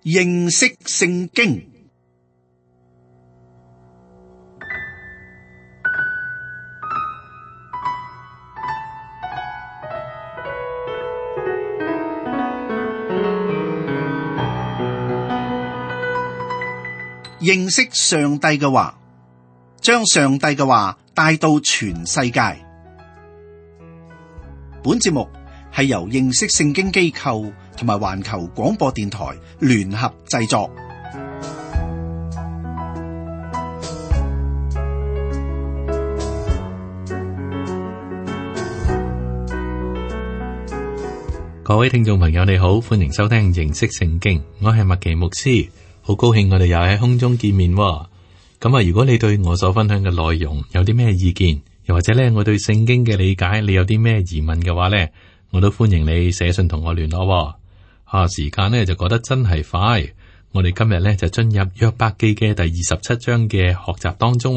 認識聖經。認識上帝嘅話，將上帝嘅話帶到全世界。本節目係由認識聖經機構同埋環球廣播電台聯合製作。各位聽眾朋友你好，歡迎收聽認識聖經，我係麥奇牧師，好高興我哋又喺空中見面。咁啊，如果你對我所分享嘅內容有啲咩意見，又或者咧我對聖經嘅理解你有啲咩疑問嘅話咧，我都歡迎你寫信同我聯絡。時間咧就過得真係快，我哋今日咧就進入約伯記嘅第27章嘅學習當中。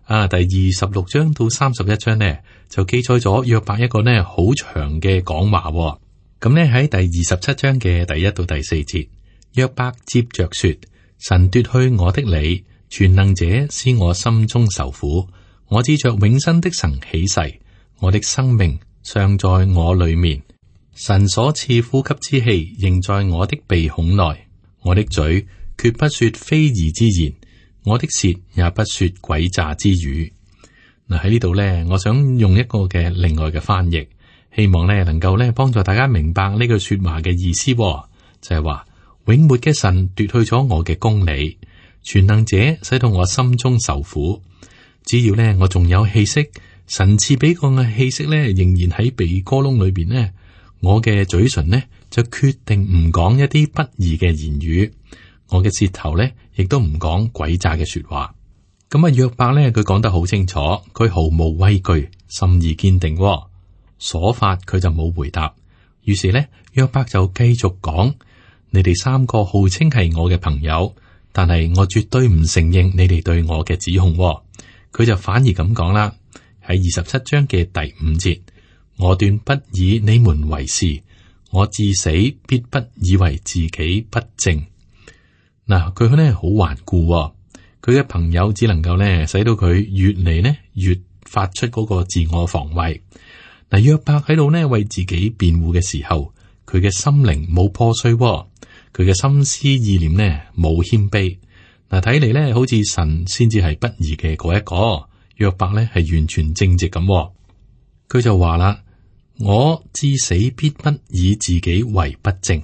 第26章到31章呢，就記載咗約伯一個呢好長嘅講話。咁呢喺第27章嘅第1到第4節，約伯接着說：神奪去我的理，全能者使我心中受苦。我指着永生的神起誓，我的生命尚在我裏面。神所賜呼吸之氣仍在我的鼻孔內。我的嘴決不說非義之言，我的舌也不說詭詐之語。嗱，喺呢度呢，我想用一個嘅另外嘅翻譯，希望呢能夠呢幫助大家明白呢句說話嘅意思，就係話永活嘅神奪去咗我嘅公理，全能者使到我心中受苦。只要呢我仲有氣息，神賜俾我嘅氣息呢仍然喺鼻哥窿裏邊呢，我嘅嘴唇呢就決定唔講一啲不義嘅言語，我嘅舌頭呢亦都唔講詭詐嘅說話。咁啊，約伯呢佢講得好清楚，佢毫無畏懼，心意堅定。所發佢就冇回答，於是呢約伯就繼續講：你哋三個號稱係我嘅朋友，但係我絕對唔承認你哋對我嘅指控。佢就反而咁講啦，喺27章嘅第5節。我斷不以你們為是，我至死必不以為自己不正。嗱，佢呢好頑固，佢嘅朋友只能夠呢使到佢越嚟呢越發出嗰個自我防衛。嗱，約伯喺度呢為自己辯護嘅時候，佢嘅心靈冇破碎，佢嘅心思意念呢冇謙卑。嗱，睇嚟呢好似神先至係不義嘅嗰一個，約伯呢係完全正直咁。佢就話啦。我至死必不以自己為不正。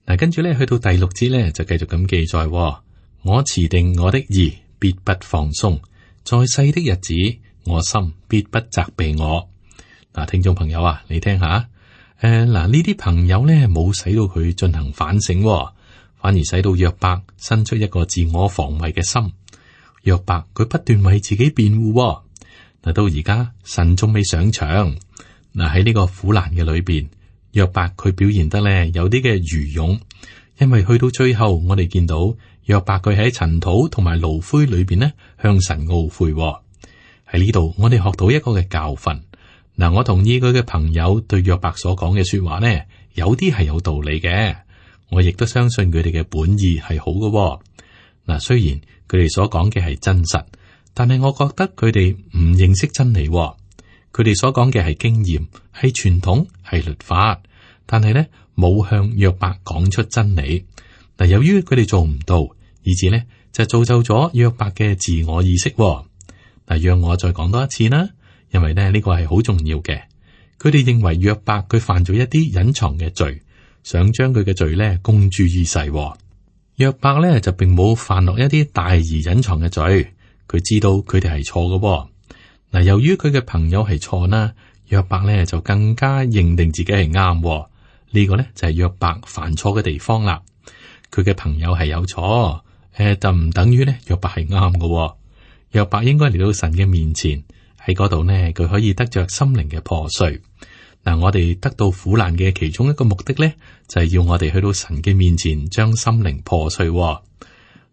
嗱，跟住咧去到第6節咧就繼續咁記載：我持定我的義，必不放鬆。在世的日子，我心必不責備我。嗱，聽眾朋友啊，你聽下，呢啲朋友咧冇使到佢進行反省，反而使到約伯生出一個自我防衛嘅心。約伯佢不斷為自己辯護。嗱，到而家神仲未上場。嗱，喺呢個苦難嘅裏邊，約伯佢表現得咧有啲嘅愚勇，因為去到最後，我哋見到約伯佢喺塵土同埋爐灰裏邊呢向神懊悔。喺呢度，我哋學到一個嘅教訓。嗱，我同意佢嘅朋友對約伯所講嘅說話呢，有啲係有道理嘅，我亦都相信佢哋嘅本意係好嘅。嗱，雖然佢哋所講嘅係真實，但係我覺得佢哋唔認識真理。佢哋所講嘅係經驗、係傳統、係律法，但係呢冇向約伯講出真理。嗱，由於佢哋做唔到，以致呢就造就咗約伯嘅自我意識。嗱，讓我再講多一次啦，因為呢個係好重要嘅。佢哋認為約伯佢犯咗一啲隱藏嘅罪，想將佢嘅罪呢公諸於世。約伯呢就並冇犯落一啲大而隱藏嘅罪，佢知道佢哋係錯嘅。嗱，由於佢嘅朋友係錯啦，約伯咧就更加認定自己係啱。呢個咧就係約伯犯錯嘅地方啦。佢嘅朋友係有錯，就唔等於咧約伯係啱嘅。約伯應該嚟到神嘅面前，喺嗰度呢，佢可以得着心靈嘅破碎。嗱，我哋得到苦難嘅其中一個目的咧，就係要我哋去到神嘅面前，將心靈破碎。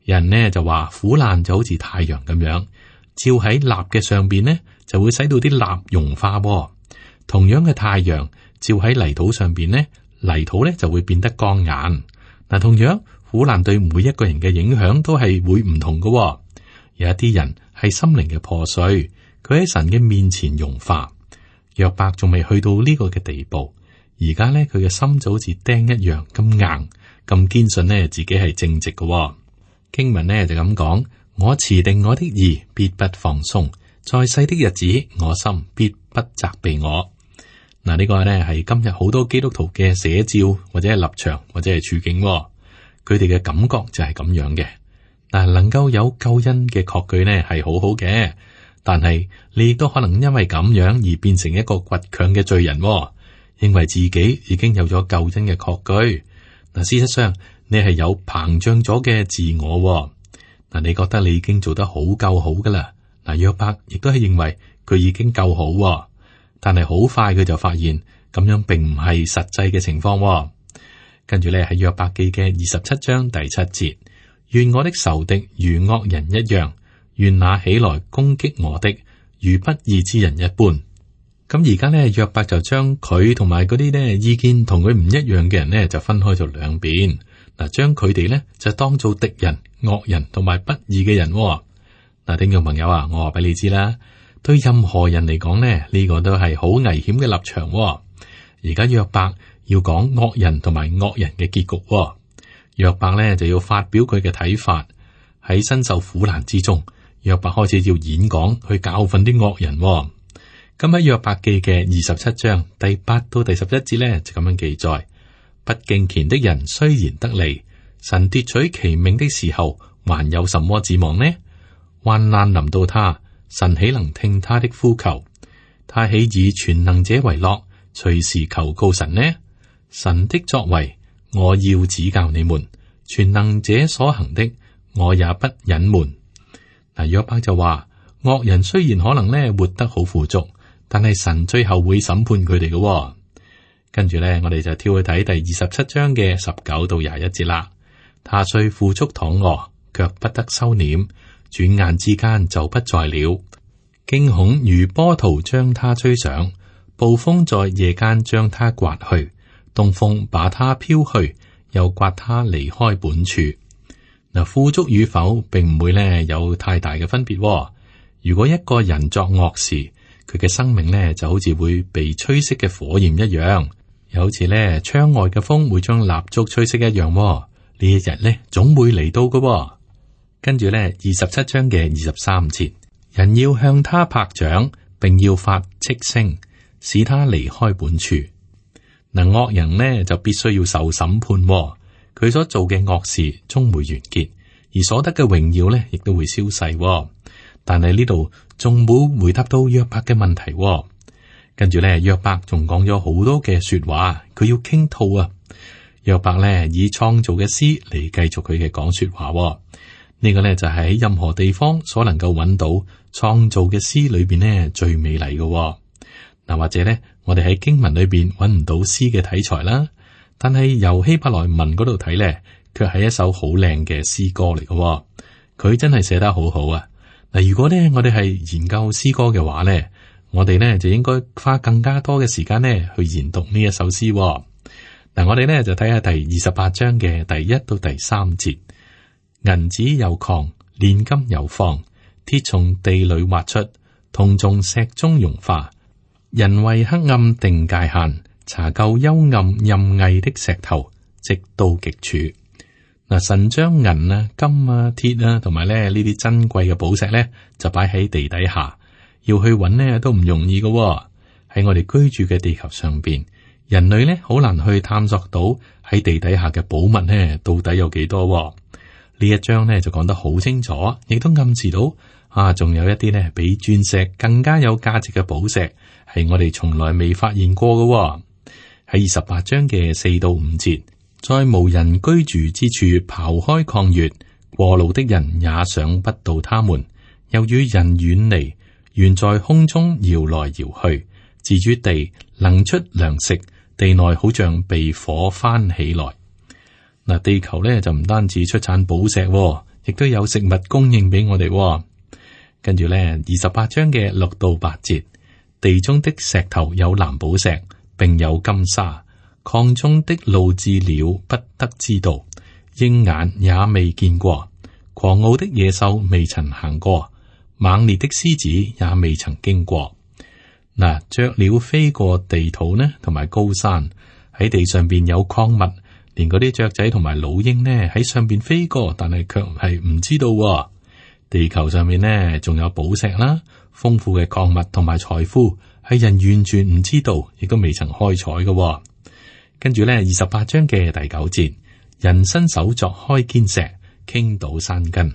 人呢就話苦難就好似太陽咁樣。照喺蠟嘅上邊呢，就會使到啲蠟融化。同樣嘅太陽照喺泥土上邊呢，泥土咧就會變得剛硬。嗱，同樣苦難對每一個人嘅影響都係會唔同嘅喎。有一啲人係心靈嘅破碎，佢喺神嘅面前融化。約伯仲未去到呢個嘅地步，而家咧佢嘅心就好似釘一樣咁硬，咁堅信呢自己係正直嘅喎。經文呢就咁講：我持定我的義，必不放鬆；在世的日子，我心必不責備我。嗱，呢個呢係今日好多基督徒嘅寫照，或者係立場，或者係處境喎。佢哋嘅感覺就係咁樣嘅。但係能夠有救恩嘅確據呢係好好嘅，但係你亦都可能因為咁樣而變成一個倔強嘅罪人喎，認為自己已經有咗救恩嘅確據。嗱，事實上你係有膨脹咗嘅自我喎。嗱，你覺得你已經做得好夠好噶啦。嗱，約伯亦都係認為佢已經夠好喎，但係好快佢就發現咁樣並唔係實際嘅情況喎。跟住咧喺約伯記嘅27章第7節，願我的仇敵如惡人一樣，願那起來攻擊我的如不義之人一般。咁而家咧約伯就將佢同埋嗰啲咧意見同佢唔一樣嘅人咧就分開咗兩邊。嗱，將佢哋咧就當做敵人、惡人同埋不義嘅人喎。嗱，聽眾朋友啊，我話俾你知啦，對任何人嚟講咧，呢個都係好危險嘅立場喎。而家約伯要講惡人同埋惡人嘅結局喎。約伯咧就要發表佢嘅睇法。喺身受苦難之中，約伯開始要演講去教訓啲惡人喎。咁喺約伯記嘅27章第8到第11節咧就咁樣記載：不敬虔的人雖然得利，神奪取其命的時候，還有什麼指望呢？患難臨到他，神豈能聽他的呼求？他豈以全能者為樂，隨時求告神呢？神的作為，我要指教你們；全能者所行的，我也不隱瞞。嗱，約伯就話：惡人雖然可能咧活得好富足，但係神最後會審判佢哋嘅。跟住咧，我哋就跳去睇第27章嘅19到21節啦。他雖富足躺臥，卻不得收斂，轉眼之間就不在了。驚恐如波濤將他吹上，暴風在夜間將他刮去，東風把他飄去，又刮他離開本處。嗱，富足與否並唔會咧有太大嘅分別。如果一個人作惡事，佢嘅生命咧就好似會被吹熄嘅火焰一樣，又好似咧窗外嘅風會將蠟燭吹熄一樣。呢一日咧總會嚟到嘅。跟住咧27章嘅23節，人要向他拍掌，並要發斥聲，使他離開本處。嗱，惡人呢就必須要受審判，佢所做嘅惡事終會完結，而所得嘅榮耀呢亦都會消逝。但係呢度仲冇回答到約伯嘅問題。跟住咧約伯仲講咗好多嘅說話，佢要傾吐啊。約伯呢以創造嘅詩嚟繼續佢嘅講說話。呢個呢就係喺任何地方所能夠揾到創造嘅詩裏邊呢最美麗嘅。嗱，或者呢我哋喺經文裏邊揾唔到詩嘅題材啦，但係由希伯來文嗰度睇呢，卻係一首好靚嘅詩歌嚟嘅。佢真係寫得好好啊！嗱，如果呢我哋係研究詩歌嘅話呢，我哋呢就應該花更加多嘅時間呢去研讀呢一首詩。嗱，我哋呢就睇下第28章嘅第1到第3節。銀子有礦，煉金有方，鐵從地裏挖出，銅從石中融化。人為黑暗定界限，查究幽暗陰翳的石頭，直到極處。嗱，神將銀啊、金啊、鐵啊，同埋咧呢啲珍貴嘅寶石咧，就擺喺地底下，要去揾呢都唔容易嘅。喺我哋居住嘅地球上邊，人類咧好難去探索到喺地底下嘅寶物呢到底有幾多。呢一章呢就講得好清楚，亦都暗示到仲有一啲呢比鑽石更加有價值嘅寶石，係我哋從來未發現過嘅。喺28章嘅4到5節，在無人居住之處刨開礦穴，過路的人也想不到他們，又與人遠離，懸在空中搖來搖去，自於地能出糧食，地內好像被火翻起來。嗱，地球咧就唔單止出產寶石，亦都有食物供應俾我哋。跟住咧28章嘅6到8節，地中的石頭有藍寶石，並有金沙，礦中的路質料不得知道，鷹眼也未見過，狂傲的野獸未曾行過，猛烈的獅子也未曾經過。嗱，雀鳥飛過地土呢，同埋高山，喺地上邊有礦物，連嗰啲雀仔同埋老鷹呢喺上邊飛過，但係卻係唔知道喎。地球上面呢仲有寶石啦，豐富嘅礦物同埋財富，係人完全唔知道，亦都未曾開採嘅喎。跟住呢28章嘅第9節，人伸手鑿開堅石，傾倒山根。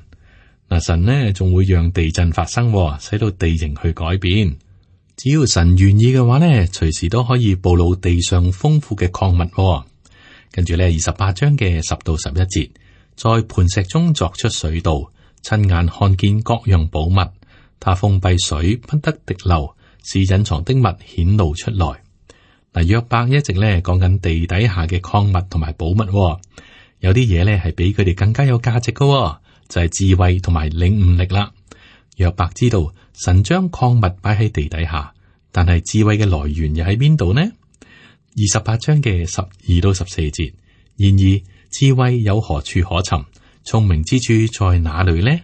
嗱，神呢仲會讓地震發生喎，使到地形去改變。只要神願意嘅話呢，隨時都可以暴露地上豐富嘅礦物喎。跟住呢28章嘅10到11節，在磐石中鑿出水道，親眼看見各樣寶物。他封閉水不得滴漏，使隱藏的物顯露出來。嗱，約伯一直咧講緊地底下嘅礦物同埋寶物喎，有啲嘢咧係比佢哋更加有價值嘅喎，就係智慧同埋領悟力啦。約伯知道神將礦物擺喺地底下，但係智慧嘅來源又喺邊度呢？28章嘅12到14節，然而智慧有何處可尋？聰明之處在哪裏呢？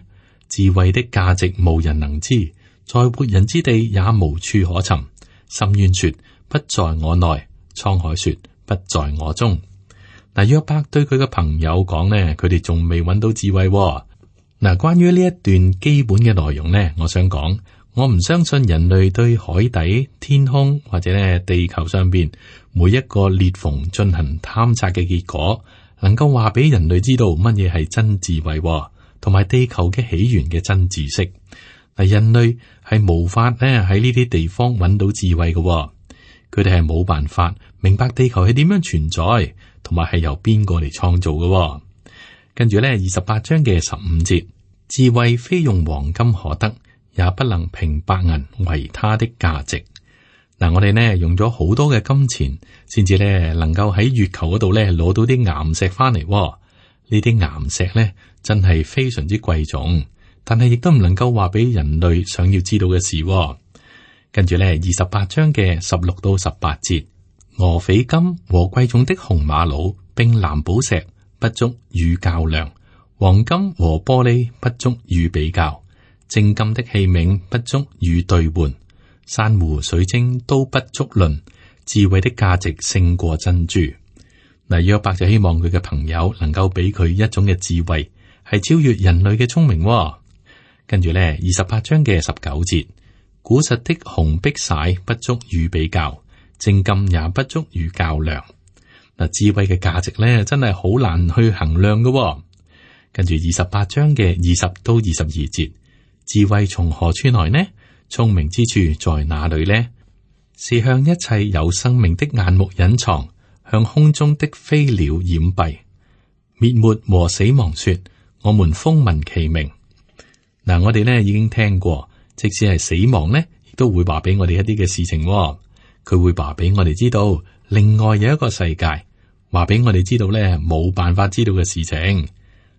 智慧的價值無人能知，在活人之地也無處可尋。深淵說不在我內，滄海說不在我中。嗱，約伯對佢嘅朋友講呢，佢哋仲未揾到智慧喎。嗱，關於呢一段基本嘅內容呢，我想講，我唔相信人類對海底、天空或者呢地球上邊每一個裂縫進行探測嘅結果，能夠話俾人類知道乜嘢係真智慧喎，同埋地球嘅起源嘅真知識。嗱，人類係無法咧喺呢啲地方揾到智慧嘅喎，佢哋係冇辦法明白地球係點樣存在，同埋係由邊個嚟創造嘅喎。跟住咧28章嘅15節，智慧非用黃金可得，也不能平白銀為它的價值。嗱，我哋呢用咗好多嘅金錢，先至咧能夠喺月球嗰度咧攞到啲岩石翻嚟。呢啲岩石咧真係非常之貴重，但係亦都唔能夠話俾人類想要知道嘅事。跟住咧28章嘅16到18節，俄斐金和貴重的紅瑪瑙並藍寶石不足與較量，黃金和玻璃不足與比較，精金的器皿不足與兌換，珊瑚水晶都不足論，智慧的價值勝過珍珠。嗱，約伯就希望佢嘅朋友能夠俾佢一種嘅智慧，係超越人類嘅聰明。跟住咧28章嘅19節，古實的紅碧璽不足與比較，精金也不足與較量。嗱，智慧嘅價值咧，真係好難去衡量嘅。跟住28章嘅20到22節，智慧從何處來呢？聰明之處在哪裏呢？是向一切有生命的眼目隱藏，向空中的飛鳥掩蔽。滅沒和死亡說：我們風聞其名。嗱，我哋呢已經聽過，即使係死亡呢，亦都會話俾我哋一啲嘅事情。佢會話俾我哋知道，另外有一個世界。話俾我哋知道咧，冇辦法知道嘅事情。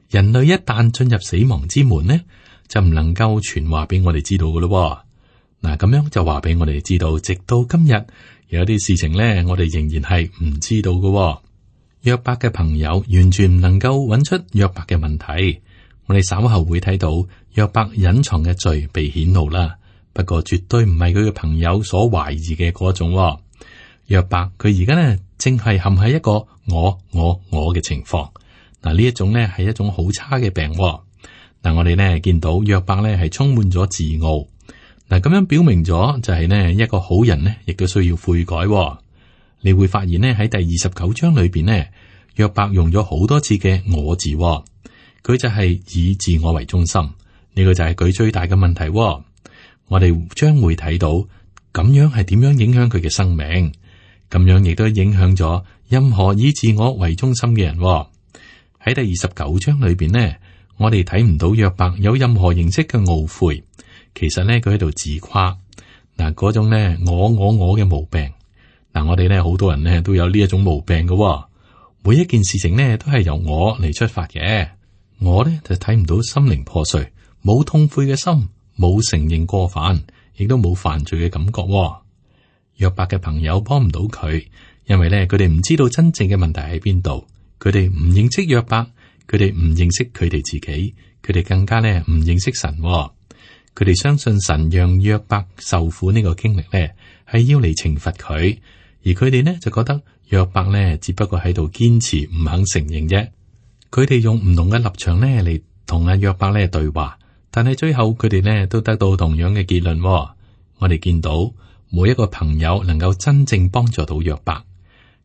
人類一旦進入死亡之門呢，就唔能夠傳話俾我哋知道噶咯。嗱，咁樣就話俾我哋知道，直到今日有啲事情咧，我哋仍然係唔知道噶。約伯嘅朋友完全唔能夠揾出約伯嘅問題。我哋稍後會睇到約伯隱藏嘅罪被顯露啦，不過絕對唔係佢嘅朋友所懷疑嘅嗰種。約伯佢而家呢，正係陷喺一個我嘅情況。嗱，呢一種呢係一種好差嘅病。嗱，我哋呢見到約伯呢係充滿咗自傲。嗱，咁樣表明咗就係呢一個好人呢，亦都需要悔改。你會發現呢喺第29章裏邊呢，約伯用咗好多次嘅我字。佢就係以自我為中心。呢個就係佢最大嘅問題。我哋將會睇到咁樣係點樣影響佢嘅生命。咁樣亦都影響咗任何以自我為中心嘅人。喺第29章裏邊呢，我哋睇唔到約伯有任何形式嘅懊悔。其實呢，佢喺度自誇。嗱，嗰種呢我嘅毛病。嗱，我哋呢好多人呢都有呢一種毛病嘅。每一件事情呢都係由我嚟出發嘅。我呢就睇唔到心靈破碎，冇痛悔嘅心，冇承認過犯，亦都冇犯罪嘅感覺。約伯嘅朋友幫唔到佢，因為咧佢哋唔知道真正嘅問題喺邊度，佢哋唔認識約伯，佢哋唔認識佢哋自己，佢哋更加咧唔認識神。佢哋相信神讓約伯受苦呢個經歷咧，係要嚟懲罰佢，而佢哋呢就覺得約伯呢只不過喺度堅持唔肯承認啫。佢哋用唔同嘅立場呢嚟同阿約伯呢對話，但係最後佢哋呢都得到同樣嘅結論。我哋見到每一個朋友能夠真正幫助到約伯。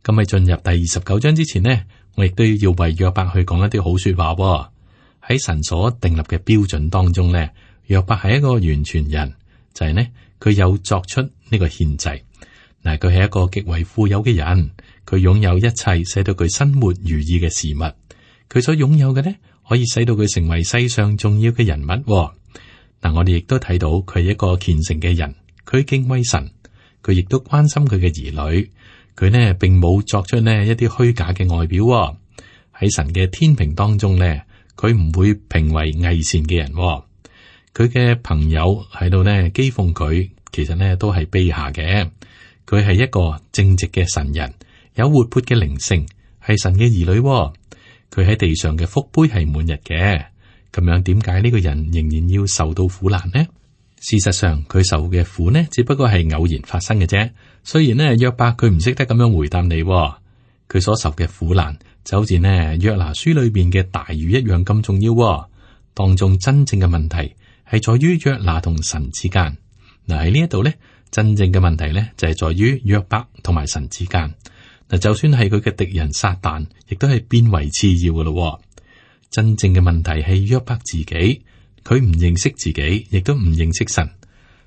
咁喺進入第29章之前呢，我亦都要為約伯去講一啲好說話。喺神所訂立嘅標準當中呢，約伯係一個完全人，就係呢，佢有作出呢個獻祭。嗱，佢係一個極為富有嘅人，佢擁有一切使到佢生活如意嘅事物。佢所擁有嘅呢，可以使到佢成為世上重要嘅人物。嗱，我哋亦都睇到佢係一個虔誠嘅人，佢敬畏神，佢亦都關心佢嘅兒女。佢呢並冇作出呢一啲虛假嘅外表。喺神嘅天平當中呢，佢唔會評為偽善嘅人。佢嘅朋友喺度呢譏諷佢，其實呢都係卑下嘅。佢係一個正直嘅神人，有活潑嘅靈性，係神嘅兒女。佢喺地上嘅福杯係滿溢嘅。咁樣點解呢個人仍然要受到苦難呢？事實上，佢受嘅苦呢，只不過係偶然發生嘅啫。雖然呢約伯佢唔識得咁樣回答你，佢所受嘅苦難就好似呢約拿書裏邊嘅大魚一樣咁重要。當中真正嘅問題係在於約拿同神之間。嗱，喺呢一度呢，真正嘅問題呢就係在於約伯同埋神之間。嗱，就算係佢嘅敵人撒旦，亦都係變為次要嘅咯。真正嘅問題係約伯自己，佢唔認識自己，亦都唔認識神。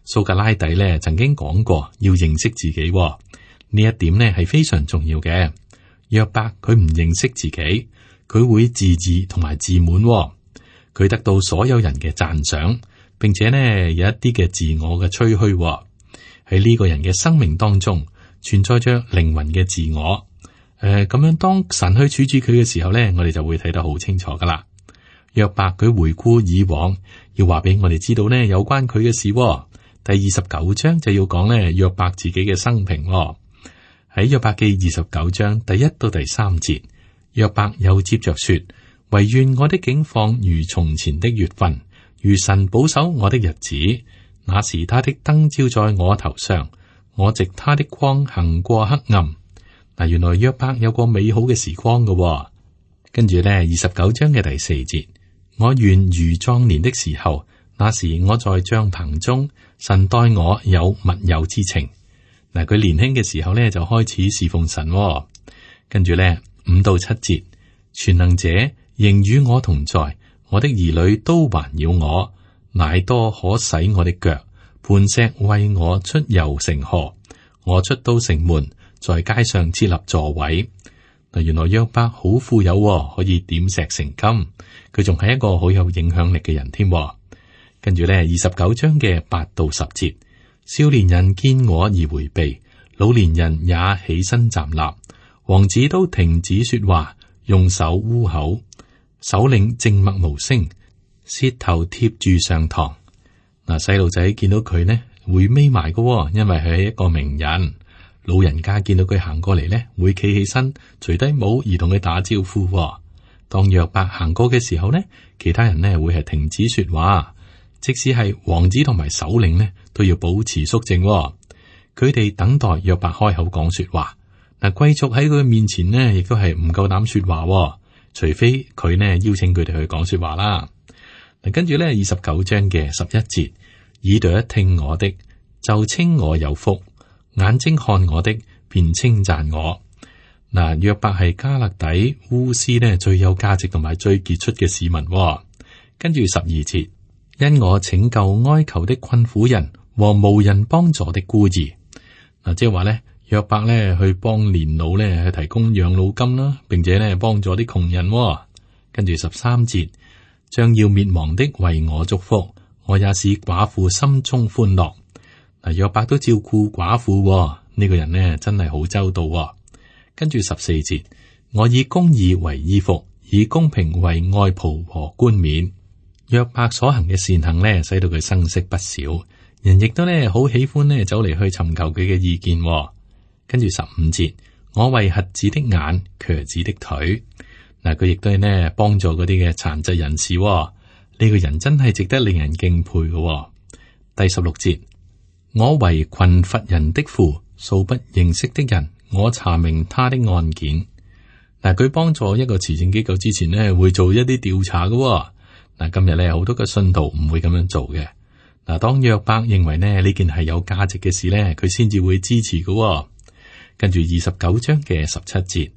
蘇格拉底呢曾經講過要認識自己，呢一點呢係非常重要嘅。約伯佢唔認識自己，佢會自義同埋自滿，佢得到所有人嘅讚賞，並且呢有一啲嘅自我嘅吹噓。喺呢個人嘅生命當中存在着靈魂嘅自我。咁樣當神去處置佢嘅時候呢，我哋就會睇得好清楚噶啦。約伯佢回顧以往，要話俾我哋知道呢有關佢嘅事。第29章就要講呢約伯自己嘅生平。喺約伯記29章第1到第3節，約伯又接着說：惟願我的景況如從前的月份，如神保守我的日子。那時他的燈照在我頭上，我藉他的光行過黑暗。嗱，原來約伯有個美好嘅時光嘅。跟住呢29章嘅第4節，我願如壯年的時候，那時我在帳棚中，神待我有密友之情。嗱，佢年輕嘅時候呢就開始侍奉神。跟住呢5到7節，全能者仍與我同在，我的兒女都環繞我，乃多可洗我的腳，磐石為我出油成河。我出到城門，在街上設立座位。嗱，原來約伯好富有，可以點石成金。佢仲係一個好有影響力嘅人添。跟住呢29章嘅8到10節，少年人見我而回避，老年人也起身站立，王子都停止說話，用手污口，首領靜默無聲，舌頭貼住上膛。嗱，細路仔見到佢呢會眯埋嘅，因為佢係一個名人。老人家見到佢行過嚟呢，會企起身，除低帽而同佢打招呼。當約伯行過嘅時候呢，其他人呢會係停止說話。即使係王子同埋首領呢，都要保持肅靜。佢哋等待約伯開口講說話。嗱，貴族喺佢面前呢，亦都係唔夠膽說話，除非佢呢邀請佢哋去講說話啦。嗱，跟住呢29章嘅11節，耳朵一聽我的，就稱我有福；眼睛看我的，便稱讚我。嗱，約伯係加勒底烏斯呢最有價值同埋最傑出嘅市民。跟住12節。因我拯救哀求的困苦人和無人幫助的孤兒。嗱，即係話咧，約伯咧去幫年老咧去提供養老金啦，並且咧幫助啲窮人。跟住13節，將要滅亡的為我祝福，我也使寡婦心中歡樂。嗱，約伯都照顧寡婦，呢個人呢真係好周到。跟住14節，我以公義為衣服，以公平為外袍和冠冕。約伯所行嘅善行呢，使到佢生色不少，人亦都呢好喜歡呢走嚟去尋求佢嘅意見。跟住15節，我為瞎子的眼，瘸子的腿。嗱，佢亦都係呢幫助嗰啲嘅殘疾人士。呢個人真係值得令人敬佩嘅。第16節，我為困乏人的父，素不認識的人，我查明他的案件。嗱，佢幫助一個慈善機構之前呢，會做一啲調查嘅。嗱，今日呢，好多嘅信徒唔會咁樣做嘅。嗱，當約伯認為呢件係有價值嘅事呢，佢先至會支持嘅。跟住29章嘅17節，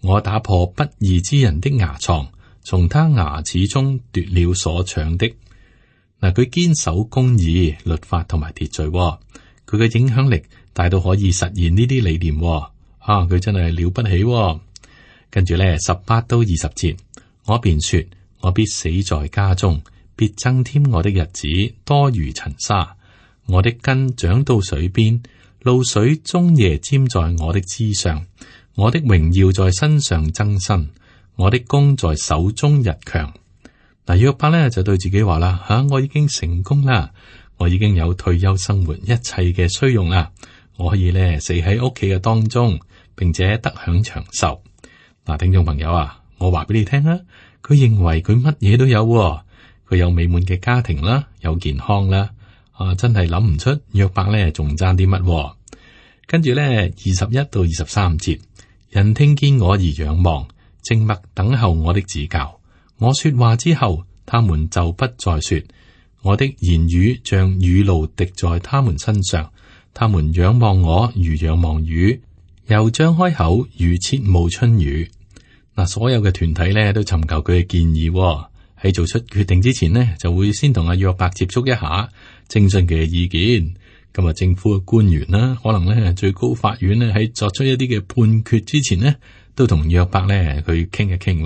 我打破不義之人的牙床，從他牙齒中奪了所搶的。嗱，佢堅守公義、律法同埋秩序。佢嘅影響力大到可以實現呢啲理念。佢真係了不起。跟住呢18到20節，我便說，我必死在家中，必增添我的日子多如塵沙。我的根長到水邊，露水終夜沾在我的枝上。我的榮耀在身上增新，我的弓在手中日強。嗱，約伯呢就對自己話啦，我已經成功啦，我已經有退休生活一切嘅需用啦，我可以呢死喺屋企嘅當中，並且得享長壽。嗱，聽眾朋友啊，我話俾你聽啊，佢認為佢乜嘢都有，佢有美滿嘅家庭啦，有健康啦，真係諗唔出約伯呢仲爭啲乜。跟住呢21到23節，人聽見我而仰望，靜默等候我的指教。我說話之後，他們就不再說，我的言語像雨露滴在他們身上。他們仰望我如仰望雨，又張開口如切慕春雨。嗱，所有嘅團體咧都尋求佢嘅建議，喺做出決定之前呢，就會先同阿約伯接觸一下，徵詢佢嘅意見。咁啊，政府嘅官員啦，可能咧最高法院咧喺作出一啲嘅判決之前呢，都同約伯咧去傾一傾。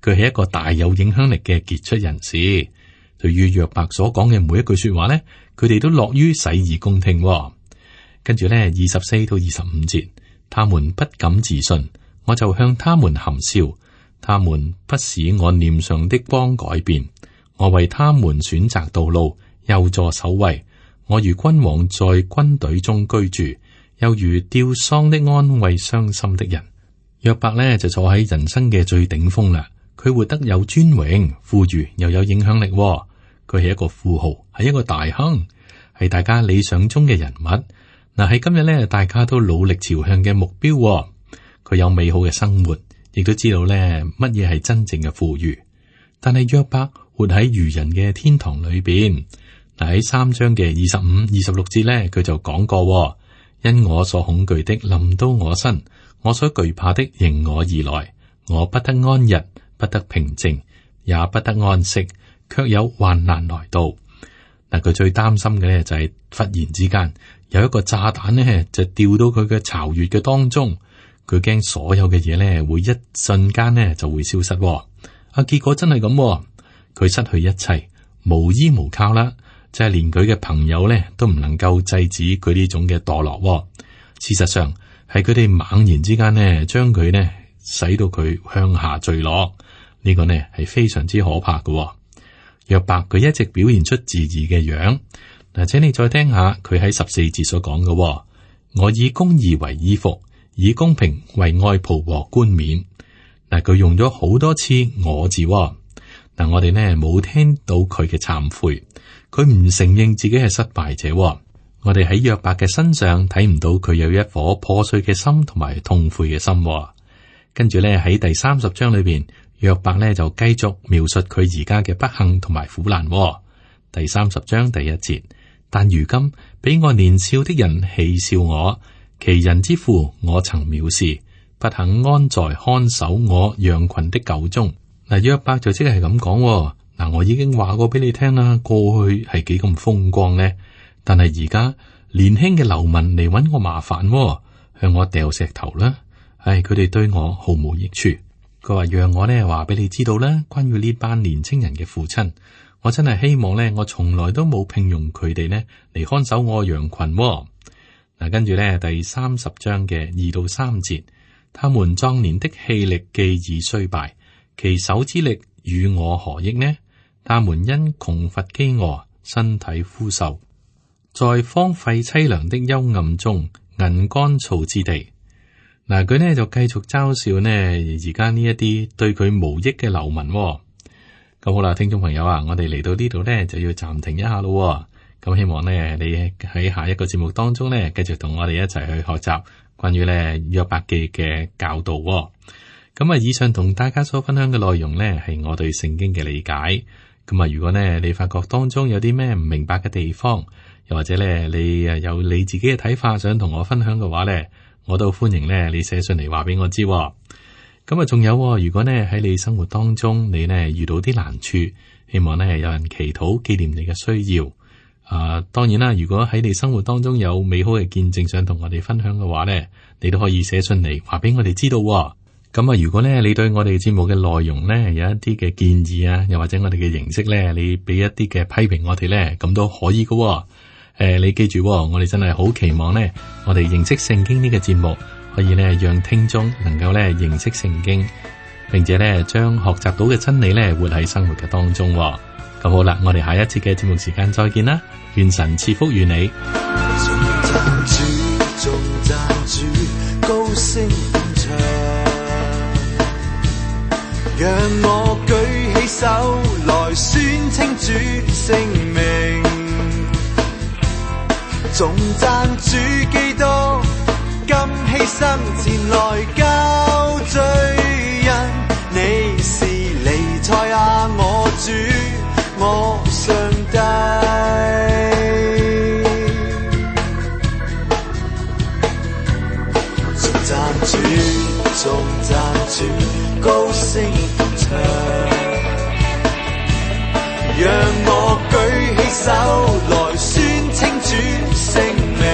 佢係一個大有影響力嘅傑出人士，對於約伯所講嘅每一句說話咧，佢哋都樂於洗耳恭聽。跟住咧24到25節，他們不敢自信。我就向他們含笑，他們不使我臉上的光改變。我為他們選擇道路，又坐首位。我如君王在軍隊中居住，又如吊喪的安慰傷心的人。約伯呢就坐喺人生嘅最頂峰啦，佢活得有尊榮、富裕又有影響力。佢係一個富豪，係一個大亨，係大家理想中嘅人物。嗱，喺今日呢，大家都努力朝向嘅目標。佢有美好嘅生活，亦都知道咧乜嘢係真正嘅富裕。但係約伯活喺愚人嘅天堂裏邊。嗱，喺3章嘅25、26節咧，佢就講過：因我所恐懼的臨到我身，我所懼怕的迎我而來，我不得安逸，不得平靜，也不得安息，卻有患難來到。嗱，佢最擔心嘅咧就係忽然之間有一個炸彈咧就掉到佢嘅巢穴嘅當中。佢驚所有嘅嘢咧會一瞬間咧就會消失。結果真係咁，佢失去一切，無依無靠啦，就係連佢嘅朋友咧都唔能夠制止佢呢種嘅墮落。事實上係佢哋猛然之間呢將佢呢使到佢向下墜落，呢個呢係非常之可怕嘅。約伯佢一直表現出自義嘅樣。嗱，請你再聽下佢喺14節所講嘅：我以公義為衣服，以公平為外袍和冠冕。嗱，佢用咗好多次我字。嗱，我哋呢冇聽到佢嘅懺悔，佢唔承認自己係失敗者。我哋喺約伯嘅身上睇唔到佢有一顆破碎嘅心同埋痛悔嘅心。跟住呢喺第30章裏邊，約伯呢就繼續描述佢而家嘅不幸同埋苦難。第30章第1節，但如今比我年少的人戲笑我。其人之父，我曾藐視，不肯安在看守我羊群的狗中。嗱，約伯就即係咁講。嗱，我已經話過俾你聽啦，過去係幾咁風光呢？但係而家年輕嘅流民嚟搵我麻煩，向我掉石頭啦。唉，佢哋對我毫無益處。佢話讓我呢話俾你知道啦，關於呢班年青人嘅父親，我真係希望呢，我從來都冇聘用佢哋呢嚟看守我羊群。嗱，跟住咧，第30章嘅2到3節，他們壯年的氣力既已衰敗，其手之力與我何益呢？他們因窮乏飢餓，身體枯瘦，在荒廢凄涼的幽暗中，銀乾燥之地。嗱，佢呢就繼續嘲笑呢而家呢一啲對佢無益嘅流民。咁好啦，聽眾朋友啊，我哋嚟到呢度呢就要暫停一下咯。咁希望呢你喺下一個節目當中呢繼續同我哋一齊去學習關於呢約伯記嘅教導。咁啊，以上同大家所分享嘅內容呢係我對聖經嘅理解。咁啊，如果呢你發覺當中有啲咩唔明白嘅地方，又或者呢你有你自己嘅睇法想同我分享嘅話呢，我都歡迎呢你寫信嚟話俾我知。咁啊，仲有，如果呢喺你生活當中你呢遇到啲難處，希望呢有人祈禱紀念你嘅需要。當然啦，如果喺你生活當中有美好嘅見證想同我哋分享嘅話呢，你都可以寫信嚟話俾我哋知道。咁啊，如果呢你對我哋節目嘅內容呢有一啲嘅建議啊，又或者我哋嘅形式呢，你俾一啲嘅批評我哋呢，咁都可以㗎。你記住，我哋真係好期望呢，我哋認識聖經呢個節目可以呢讓聽眾能夠呢認識聖經，並且呢將學習到嘅真理呢活喺生活嘅當中。咁好啦，我哋下一次嘅節目時間再見啦，願神賜福與你。頌讚主，高聲唱，讓我舉起手來宣稱主聖名，頌讚主基督，甘犧牲前來交罪人，你是彌賽亞，我主，我上帝。頌讚主，頌讚主，高聲唱，讓我舉起手來宣稱主聖名。